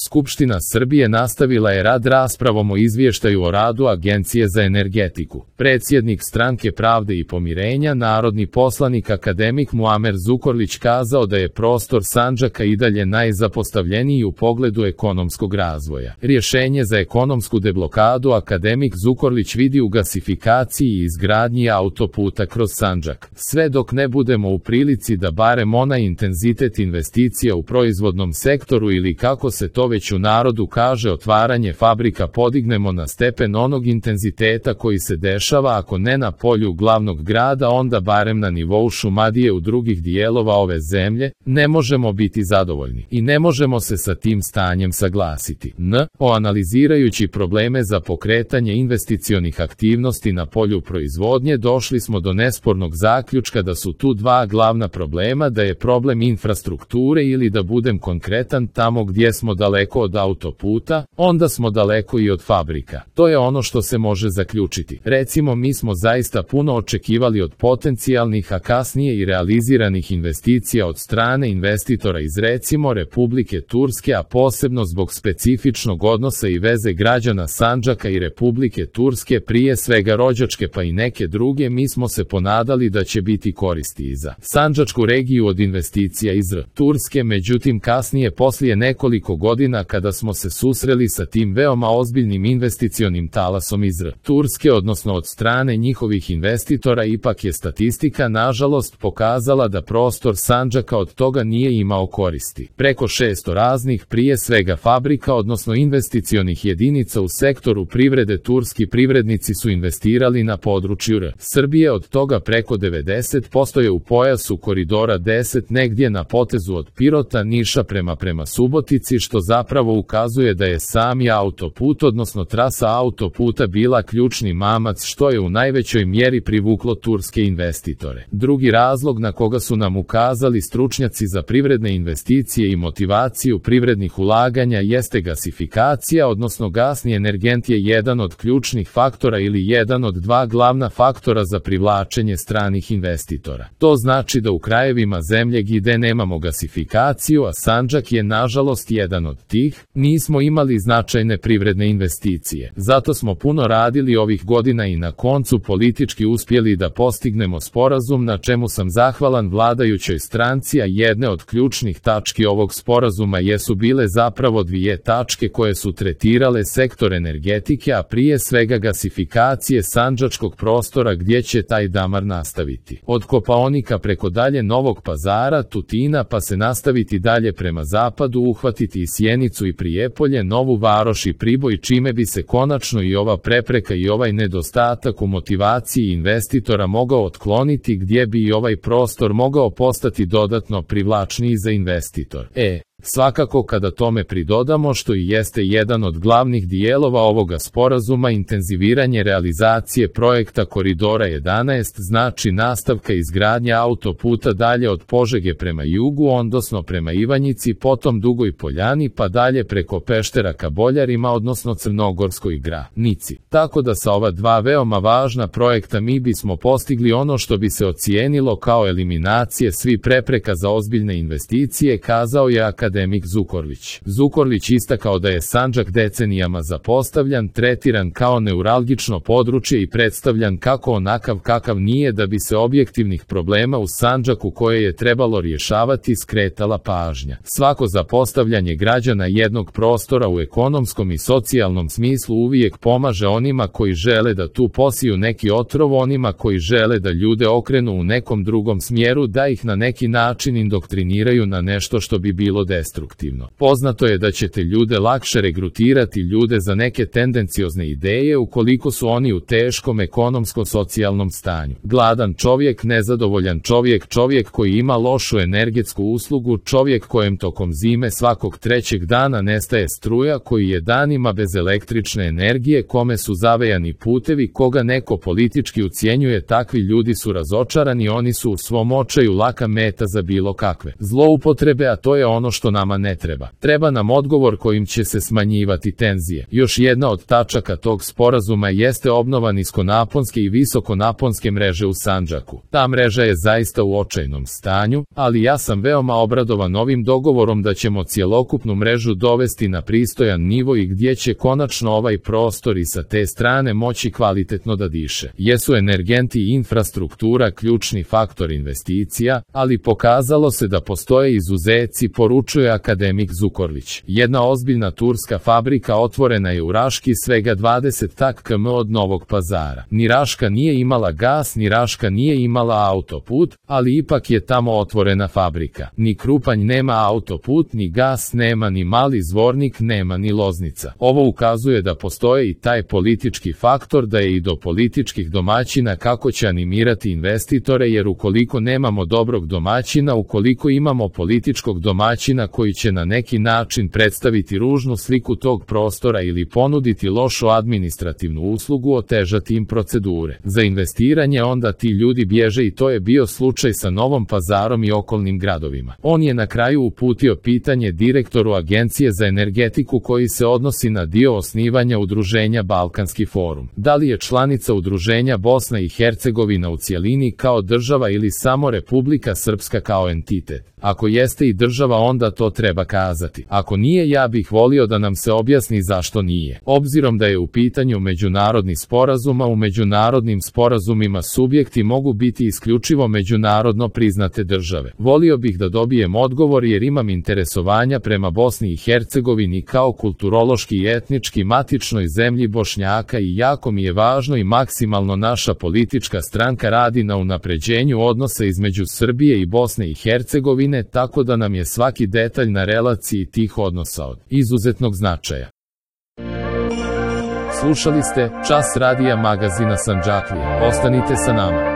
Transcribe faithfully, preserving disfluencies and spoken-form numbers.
Skupština Srbije nastavila je rad raspravom o izvještaju o radu Agencije za energetiku. Predsjednik Stranke pravde i pomirenja, narodni poslanik akademik Muamer Zukorlić kazao da je prostor Sandžaka i dalje najzapostavljeniji u pogledu ekonomskog razvoja. Rješenje za ekonomsku deblokadu akademik Zukorlić vidi u gasifikaciji i izgradnji autoputa kroz Sandžak. Sve dok ne budemo u prilici da barem onaj intenzitet investicija u proizvodnom sektoru ili kako se to već u narodu kaže otvaranje fabrika podignemo na stepen onog intenziteta koji se dešava ako ne na polju glavnog grada onda barem na nivou Šumadije u drugih dijelova ove zemlje, ne možemo biti zadovoljni i ne možemo se sa tim stanjem saglasiti. N. O analizirajući probleme za pokretanje investicionih aktivnosti na polju proizvodnje došli smo do nespornog zaključka da su tu dva glavna problema, da je problem infrastrukture ili da budem konkretan tamo gdje smo daleko od autoputa, onda smo daleko i od fabrika. To je ono što se može zaključiti. Recimo mi smo zaista puno očekivali od potencijalnih a kasnije i realiziranih investicija od strane investitora iz recimo Republike Turske, a posebno zbog specifičnog odnosa i veze građana Sandžaka i Republike Turske, prije svega rođačke pa i neke druge, mi smo se ponadali da će biti koristi i za Sandžačku regiju od investicija iz Turske, međutim kasnije poslije nekoliko godina kada smo se susreli sa tim veoma ozbiljnim investicionim talasom iz Turske, odnosno od strane njihovih investitora, ipak je statistika nažalost pokazala da prostor Sandžaka od toga nije imao koristi. Preko šesto raznih prije svega fabrika, odnosno investicionih jedinica u sektoru privrede turski privrednici su investirali na području R. Srbije, od toga preko devedeset posto je u pojasu koridora deset negdje na potezu od Pirota, Niša prema prema Subotici, što zapravo ukazuje da je sami autoput, odnosno trasa autoputa bila ključni mamac što je u najvećoj mjeri privuklo turske investitore. Drugi razlog na koga su nam ukazali stručnjaci za privredne investicije i motivaciju privrednih ulaganja jeste gasifikacija, odnosno gasni energent je jedan od ključnih faktora ili jedan od dva glavna faktora za privlačenje stranih investitora. To znači da u krajevima zemlje gdje nemamo gasifikaciju, a Sandžak je nažalost jedan od tih, nismo imali značajne privredne investicije. Zato smo puno radili ovih godina i na koncu politički uspjeli da postignemo sporazum, na čemu sam zahvalan vladajućoj stranci, a jedne od ključnih tački ovog sporazuma jesu bile zapravo dvije tačke koje su tretirale sektor energetike, a prije svega gasifikacije sandžačkog prostora gdje će taj damar nastaviti. Od Kopaonika preko dalje Novog Pazara, Tutina pa se nastaviti dalje prema zapadu, uhvatiti i Sjenicu i Prijepolje, Novu Varoš i Priboj, čime bi se konačno i ova prepreka i ovaj nedostatak u motivaciji investitora mogao otkloniti, gdje bi i ovaj prostor mogao postati dodatno privlačniji za investitor. E, svakako kada tome pridodamo, što i jeste jedan od glavnih dijelova ovoga sporazuma, intenziviranje realizacije projekta Koridora jedanaest, znači nastavka izgradnja autoputa dalje od Požege prema jugu, odnosno prema Ivanjici, potom Dugoj Poljani pa dalje preko Peštera ka Boljarima, odnosno Crnogorskoj granici. Tako da sa ova dva veoma važna projekta mi bismo postigli ono što bi se ocijenilo kao eliminacije svih prepreka za ozbiljne investicije, kazao je akademik Zukorlić. Zukorlić istakao da je Sandžak decenijama zapostavljan, tretiran kao neuralgično područje i predstavljan kako onakav kakav nije, da bi se objektivnih problema u Sandžaku koje je trebalo rješavati skretala pažnja. Svako zapostavljanje građana jednog prostora u ekonomskom i socijalnom smislu uvijek pomaže onima koji žele da tu posiju neki otrov, onima koji žele da ljude okrenu u nekom drugom smjeru, da ih na neki način indoktriniraju na nešto što bi bilo destruktivno. Poznato je da ćete ljude lakše regrutirati ljude za neke tendenciozne ideje ukoliko su oni u teškom ekonomsko-socijalnom stanju. Gladan čovjek, nezadovoljan čovjek, čovjek koji ima lošu energetsku uslugu, čovjek kojem tokom zime svakog trećeg dana nestaje struja, koji je danima bez električne energije, kome su zavejani putevi, koga neko politički ucjenjuje, takvi ljudi su razočarani, oni su u svom očaju laka meta za bilo kakve zloupotrebe, a to je ono što što nama ne treba. Treba nam odgovor kojim će se smanjivati tenzije. Još jedna od tačaka tog sporazuma jeste obnova niskonaponske i visokonaponske mreže u Sandžaku. Ta mreža je zaista u očajnom stanju, ali ja sam veoma obradovan ovim dogovorom da ćemo cjelokupnu mrežu dovesti na pristojan nivo i gdje će konačno ovaj prostor i sa te strane moći kvalitetno da diše. Jesu energenti i infrastruktura ključni faktor investicija, ali pokazalo se da postoje izuzeci, poručuje akademik Zukorlić. Jedna ozbiljna turska fabrika otvorena je u Raški svega dvadeset kilometara od Novog Pazara. Ni Raška nije imala gas, ni Raška nije imala autoput, ali ipak je tamo otvorena fabrika. Ni Krupanj nema autoput, ni gas nema, ni Mali Zvornik nema, ni Loznica. Ovo ukazuje da postoje i taj politički faktor, da je i do političkih domaćina kako će animirati investitore, jer ukoliko nemamo dobrog domaćina, ukoliko imamo političkog domaćina koji će na neki način predstaviti ružnu sliku tog prostora ili ponuditi lošu administrativnu uslugu, otežati im procedure za investiranje, onda ti ljudi bježe i to je bio slučaj sa Novom Pazarom i okolnim gradovima. On je na kraju uputio pitanje direktoru Agencije za energetiku koji se odnosi na dio osnivanja udruženja Balkanski forum. Da li je članica udruženja Bosna i Hercegovina u cjelini kao država ili samo Republika Srpska kao entitet? Ako jeste i država, onda to treba kazati. Ako nije, ja bih volio da nam se objasni zašto nije. Obzirom da je u pitanju međunarodni sporazum, a u međunarodnim sporazumima subjekti mogu biti isključivo međunarodno priznate države. Volio bih da dobijem odgovor jer imam interesovanja prema Bosni i Hercegovini kao kulturološki i etnički matičnoj zemlji Bošnjaka i jako mi je važno i maksimalno naša politička stranka radi na unapređenju odnosa između Srbije i Bosne i Hercegovine, tako da nam je svaki detalj na relaciji tih odnosa od izuzetnog značaja. Slušali ste Čas radija magazina Sandžaklija. Ostanite sa nama.